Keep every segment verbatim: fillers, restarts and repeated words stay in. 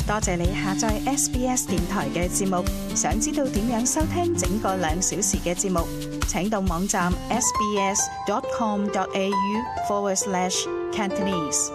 多謝你下載 S B S 電台嘅節目。想知道點樣收聽整個兩小時嘅節目，請到網站 sbs.com.au forward slash Cantonese。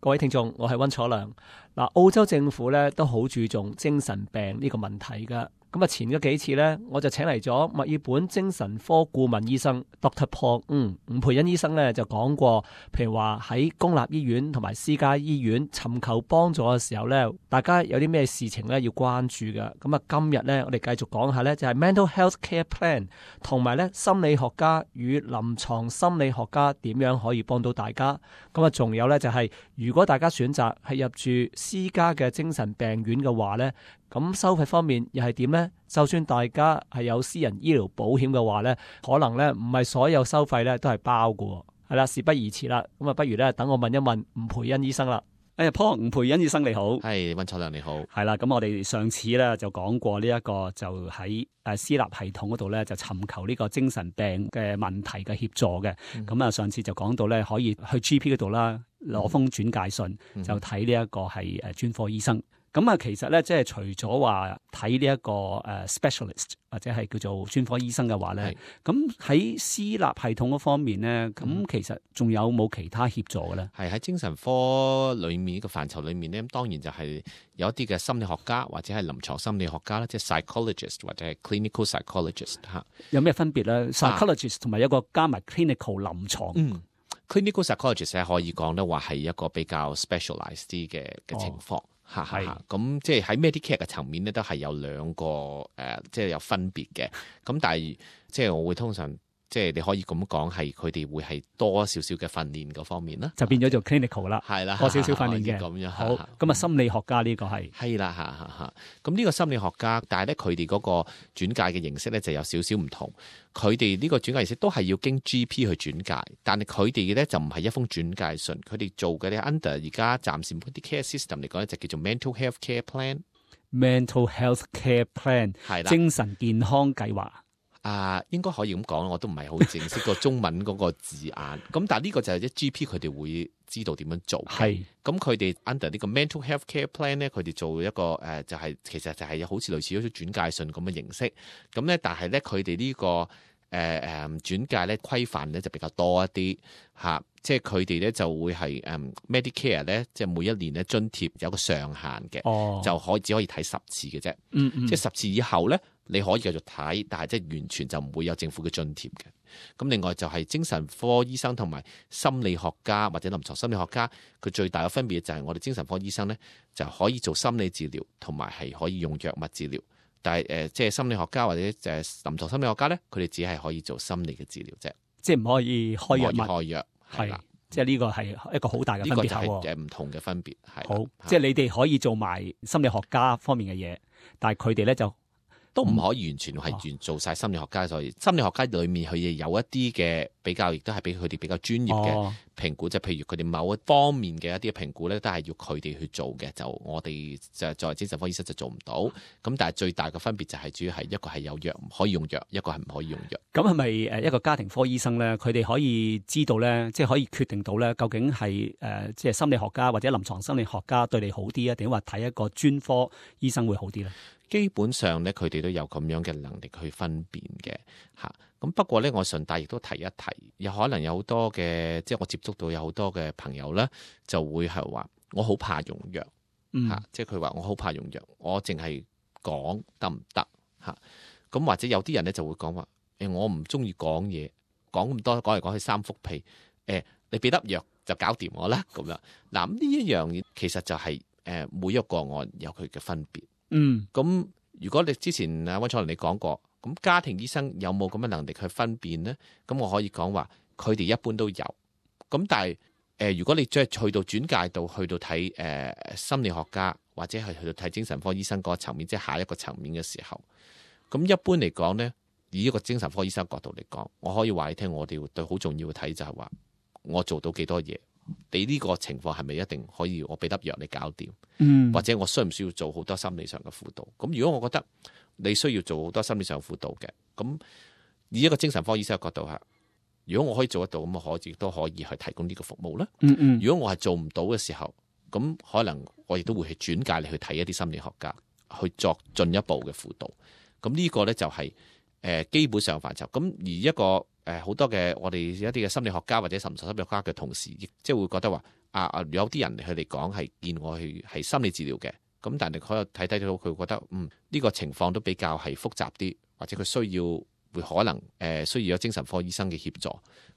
各位聽眾，我係溫楚良。嗱，澳洲政府咧都好注重精神病呢個問題噶。咁啊，前嗰幾次咧，我就請嚟咗墨爾本精神科顧問醫生 Doctor Paul， 嗯，伍培恩醫生咧就講過，譬如話喺公立醫院同埋私家醫院尋求幫助嘅時候咧，大家有啲咩事情咧要關注嘅。咁啊，今日咧我哋繼續講下咧，就係 Mental Health Care Plan 同埋咧心理學家與臨床心理學家點樣可以幫到大家。咁啊，仲有咧就係如果大家選擇係入住私家嘅精神病院嘅話咧，咁收費方面又係點呢？就算大家係有私人醫療保險嘅話呢，可能呢唔係所有收費呢都係包嘅。係啦，事不宜遲啦，咁啊，不如呢等我問一問伍培恩醫生啦。誒、哎、Paul，伍培恩醫生你好。係，溫楚良你好。係啦，咁我哋上次咧就講過呢一個就喺誒私立系統嗰度咧就尋求呢個精神病嘅問題嘅協助嘅。咁啊、嗯，上次就講到咧可以去 G P 嗰度啦，攞封轉介信、嗯、就睇呢一個係誒專科醫生。咁啊，其實咧，即係除咗話睇呢一個誒 specialist 或者係叫做專科醫生嘅話咧，咁喺私立系統嗰方面咧，咁、嗯、其實仲有冇其他協助嘅咧？係喺精神科裏面呢個範疇裏面咧，當然就係有一啲嘅心理學家或者係臨床心理學家啦，即係 psychologist 或者係 clinical psychologist 嚇。有咩分別咧 ？psychologist 同埋一個加埋 clinical 臨床。嗯 clinical psychologist 咧可以講咧話係一個比較 specialized 啲嘅嘅情況。哦嚇嚇，咁即係喺 Medicare 嘅層面咧，都係有兩個誒、呃，即係有分別嘅。咁但係即係我會通常即係你可以咁講，係佢哋會係多少少嘅訓練嗰方面啦，就變咗做 clinical 啦，係啦，多少少訓練嘅咁樣。好，咁啊心理學家呢個係係啦嚇嚇嚇。咁呢個心理學家，但係咧佢哋嗰個轉介嘅形式咧就有少少唔同。佢哋呢個轉介形式都係要經 G P 去轉介，但係佢哋嘅咧就唔係一封轉介信，佢哋做嘅咧 under 而家暫時啲 care system 嚟講咧就叫做 mental health care plan。mental health care plan 係啦，精神健康計劃。啊，應該可以咁講，我都唔係好正式個中文嗰個字眼。咁但係呢個就係一 G P 佢哋會知道點樣做。係，咁佢哋 under 呢個 mental health care plan 咧，佢哋做一個誒、呃，就係、是、其實就係好似類似一種轉介信咁嘅形式。咁咧，但係咧佢哋呢、這個誒誒、呃、轉介咧規範咧就比較多一啲嚇、啊，即係佢哋咧就會係誒、嗯、Medicare 咧，即係每一年咧津貼有個上限嘅，哦、就可以只可以睇十次嘅啫。嗯嗯，即係十次以後咧。你可以繼續睇，但係即係完全就唔會有政府嘅津貼嘅。咁另外就係精神科醫生同埋心理學家或者臨床心理學家，佢最大嘅分別就係我哋精神科醫生咧就可以做心理治療，同埋係可以用藥物治療。但係誒、呃，即係心理學家或者誒臨床心理學家咧，佢哋只係可以做心理嘅治療啫，即係唔可以開藥物。開藥係啦，即係呢個係一個好大嘅分別。呢個就係誒唔同嘅分別。係好，即係你哋可以做埋心理學家方面嘅嘢，但係佢哋咧就。都唔可以完全係完做晒心理學家，所以心理學家裏面佢哋有一啲嘅比較，亦都係俾佢哋比較專業嘅評估，就譬如佢哋某一方面嘅一啲評估咧，都係要佢哋去做嘅，就我哋就作為精神科醫生就做唔到。咁但係最大嘅分別就係主要係一個係有藥可以用藥，一個係唔可以用藥。咁係咪誒一個家庭科醫生咧？佢哋可以知道咧，即係可以決定到咧，究竟係誒即係心理學家或者臨床心理學家對你好啲啊，定話睇一個專科醫生會好啲咧？基本上咧，佢哋都有咁樣嘅能力去分辨嘅嚇。咁不過咧，我順帶亦都提一提，有可能有好多嘅，即係我接觸到有好多嘅朋友咧，就會係話我好怕用藥嚇，嗯、即係佢話我好怕用藥，我淨係講得唔得嚇？咁或者有啲人咧就會講話誒，我唔中意講嘢，講咁多講嚟講去三幅屁誒，你俾粒藥就搞掂我啦咁樣。嗱，咁呢一樣嘢其實就係、是、誒每一個個案有佢嘅分別。嗯，咁如果你之前啊溫楚良你講過，咁家庭醫生有冇咁嘅能力去分辨呢？咁我可以講話，佢哋一般都有。咁但係誒、呃，如果你再去到轉介到去到睇誒、呃、心理學家或者係去到睇精神科醫生嗰個層面，即係下一個層面嘅時候，咁一般嚟講呢，以一個精神科醫生角度嚟講，我可以話你聽，我哋對好重要嘅睇就係話，我做到幾多嘢。你呢個情況係咪一定可以我俾粒藥你搞掂？嗯，或者我需唔需要做好多心理上嘅輔導？咁如果我覺得你需要做好多心理上輔導嘅，咁以一個精神科醫生嘅角度吓，如果我可以做得到，咁我可以都可以去提供呢個服務啦。嗯嗯，如果我係做唔到嘅時候，咁可能我亦都會去轉介你去睇一啲心理學家，去作進一步嘅輔導。咁呢個咧就係、是、誒、呃、基本上範疇。咁而一個誒好、呃、多嘅我哋一啲嘅心理學家或者臨床心理學家嘅同事，亦即係會覺得話啊啊有啲人佢哋講係見我去係心理治療嘅，咁但係佢又睇睇到佢覺得嗯呢、呢個情況都比較係複雜啲，或者佢需要會可能誒、呃、需要有精神科醫生嘅協助，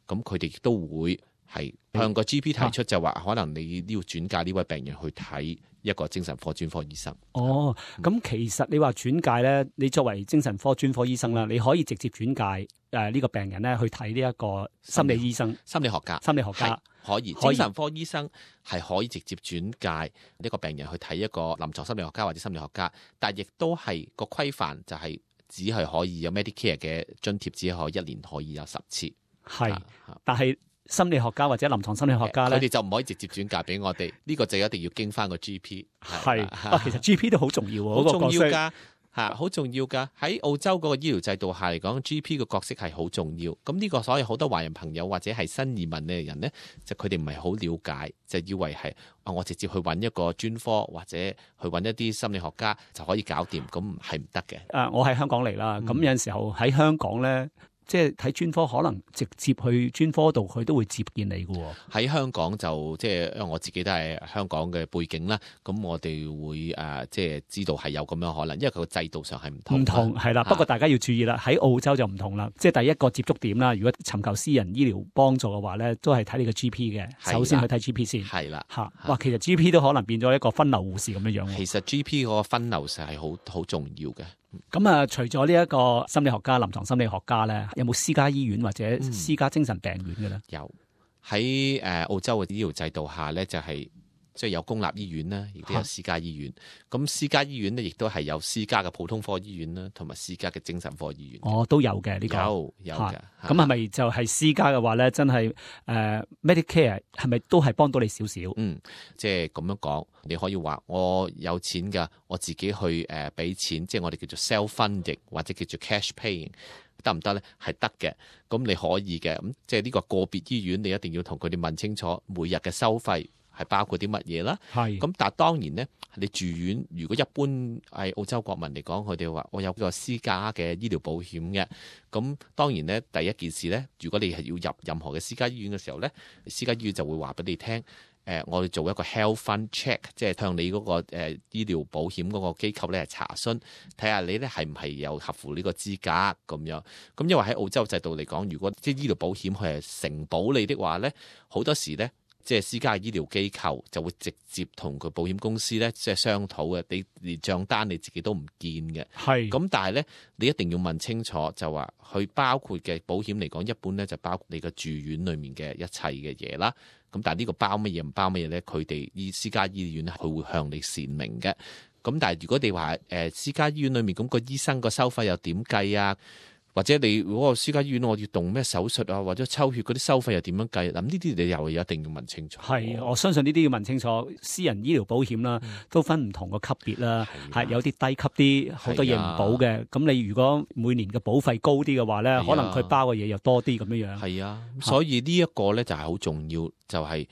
咁佢哋亦都會係向個 G P 提出就話可能你都要轉介呢位病人去睇一個精神科專科醫生。哦，咁、嗯、其實你話轉介咧，你作為精神科專科醫生啦，你可以直接轉介誒呢個病人咧去睇呢一個心理醫生、心理學家、心理學家可以。可以精神科醫生係可以直接轉介呢個病人去睇一個臨床心理學家或者心理學家，但係亦都係個規範就係只係可以有 Medicare 嘅津貼，只可以一年可以有十次。係，但係心理學家或者臨床心理學家咧，佢哋就唔可以直接轉介俾我哋，呢、呢個就一定要經翻個 G P。係，啊，其實 G P 都好重要喎，好重要㗎，嚇，好重要㗎。喺澳洲嗰個醫療制度下嚟講 ，G P 嘅角色係好重要。咁呢個所以好多華人朋友或者係新移民嘅人咧，就佢哋唔係好了解，就以為係啊，我直接去揾一個專科或者去揾一啲心理學家就可以搞掂，咁係唔得嘅。誒，我喺香港嚟啦，咁、嗯、有陣時候喺香港咧。即係睇專科，可能直接去專科度，佢都會接見你嘅。喺香港就即係，因為我自己都係香港嘅背景啦，咁我哋會誒、呃、即係知道係有咁樣可能，因為佢個制度上係唔同。唔同係啦，不過大家要注意啦，喺澳洲就唔同啦。即係第一個接觸點啦，如果尋求私人醫療幫助嘅話咧，都係睇你個 G P 嘅。首先去睇 G P 先。係啦，嚇哇，其實 G P 都可能變咗一個分流護士咁樣樣。其實 G P 嗰個分流實係好好重要嘅。咁啊，除咗呢一個心理學家、臨床心理學家咧，有冇私家醫院或者私家精神病院嘅咧、嗯？有喺誒澳洲嘅醫療制度下咧，就係即係有公立醫院啦，亦都有私家醫院。咁私家醫院咧，亦都係有私家嘅普通科醫院啦，同埋私家嘅精神科醫院。哦，都有嘅呢、這個有有嘅。咁係咪就係私家嘅話咧？真係誒、呃、Medicare 係咪都係幫到你少少？嗯，即係咁樣講，你可以話我有錢㗎，我自己去誒俾、呃、錢，即係我哋叫做 self-funding 或者叫做 cash paying，得唔得咧？係得嘅，咁你可以嘅。咁即係呢個個別醫院，你一定要同佢哋問清楚每日嘅收費係包括啲乜嘢啦。係。咁但係當然咧，你住院如果一般係澳洲國民嚟講，佢哋話我有個私家嘅醫療保險嘅。咁當然咧，第一件事咧，如果你係要入任何嘅私家醫院嘅時候咧，私家醫院就會話俾你聽。誒、呃，我哋做一個 health fund check， 即係向你嗰、那個誒、呃、醫療保險嗰個機構咧係查詢，睇下你咧係唔係有合乎呢個資格咁樣。咁因為喺澳洲制度嚟講，如果即係醫療保險佢係承保你的話咧，好多時咧即係私家醫療機構就會直接同佢保險公司咧即係商討嘅，你連帳單你自己都唔見嘅。係。咁但係咧，你一定要問清楚，就話佢包括嘅保險嚟講，一般咧就包括你個住院裡面嘅一切嘅嘢啦。咁但係呢個包乜嘢唔包乜嘢咧？佢哋醫私家醫院咧，佢會向你闡明嘅。咁但係如果你話誒、呃、私家醫院裏面咁、個醫生個收費又點計啊？或者你如果個私家醫院我要動咩手術啊，或者抽血嗰啲收費又點樣計？咁呢啲你又一定要問清楚。係，我相信呢啲要問清楚。私人醫療保險啦，都分唔同個級別啦，係、啊、有啲低級啲，好多嘢唔保嘅。咁、啊、你如果每年嘅保費高啲嘅話咧、啊，可能佢包嘅嘢又多啲咁樣樣。係啊，所以呢一個咧就係好重要，就係、是、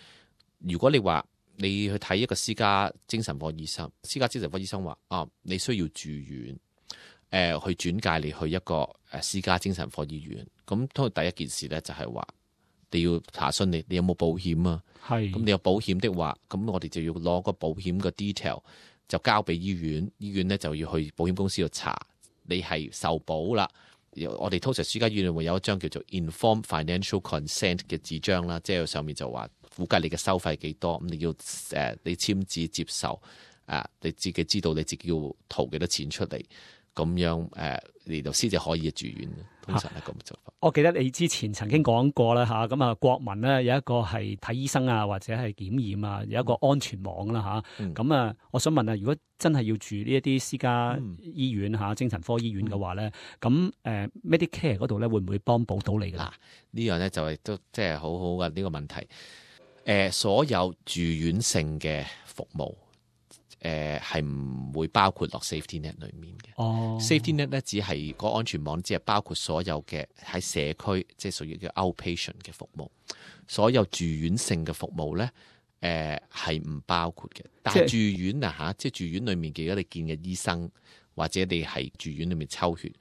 如果你話你去睇一個私家精神科醫生，私家精神科醫生話啊，你需要住院。誒、呃、去轉介你去一個誒私家精神科醫院，咁通常第一件事咧就係話你要查詢你你有冇保險啊？係，咁你有保險的話，咁我哋就要攞個保險嘅 detail 就交俾醫院，醫院咧就要去保險公司度查你係受保啦。我哋通常私家醫院會有一張叫做 Informed Financial Consent 嘅紙張啦，即係上面就話估計你嘅收費幾多，咁你要誒、呃、你簽字接受，啊、呃、你自己知道你自己要掏幾多錢出嚟。咁樣誒，嚟到先至可以住院，通常係咁做法。我記得你之前曾經講過啦嚇，咁啊國民咧有一個係睇醫生啊，或者係檢驗啊，有一個安全網啦嚇。咁、嗯、啊，我想問啊，如果真係要住呢一啲私家醫院嚇、嗯、精神科醫院嘅話咧，咁、嗯、誒 Medicare 嗰度咧會唔會幫補到你㗎？嗱，呢樣咧就係都即係好好嘅呢個問題。誒、呃，所有住院性嘅服務。誒係唔會包括落 safety net 裏面嘅。哦、oh. ，safety net 咧只係個安全網，只係包括所有嘅喺社區，即係屬於叫 outpatient 嘅服務。所有住院性嘅服務咧，誒、誒係唔包括嘅。但係住院啊嚇，即係住院裡面嘅，如果你見嘅醫生或者你係住院裡面抽血，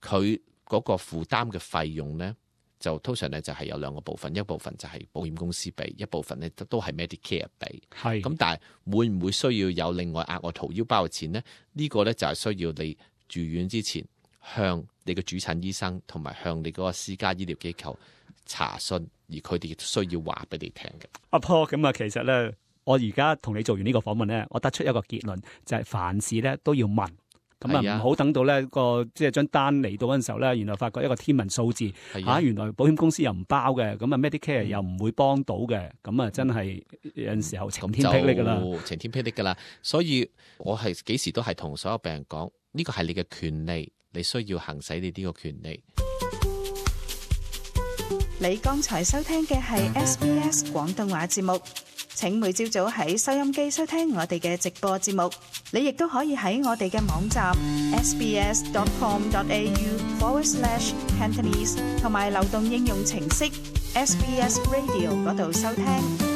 佢嗰個負擔嘅費用咧，就通常咧就係有兩個部分，一部分就係保險公司俾，一部分咧都係 Medicare 俾。係咁，但係會唔會需要有另外額外掏腰包嘅錢咧？呢個咧就係需要你住院之前向你嘅主診醫生同埋向你嗰個私家醫療機構查詢，而佢哋亦需要話俾你聽嘅。阿 Paul，咁啊，其實咧，我而家同你做完呢個訪問咧，我得出一個結論，就係、是、凡事咧都要問。咁啊，唔好等到咧個即係張單嚟到嗰陣時候咧，原來發覺一個天文數字嚇、啊，原來保險公司又唔包嘅，咁啊 Medicare 又唔會幫到嘅，咁啊真係有陣時候晴天霹靂㗎啦，晴天霹靂㗎啦。所以我係幾時都係同所有病人講，呢個係你嘅權利，你需要行使你呢個權利。你剛才收聽嘅係 S B S 廣東話節目。請每朝早喺收音機收聽我哋嘅直播節目，你亦都可以喺我哋嘅網站 sbs.com.au forward slash Cantonese 同埋流動應用程式 S B S Radio 嗰度收聽。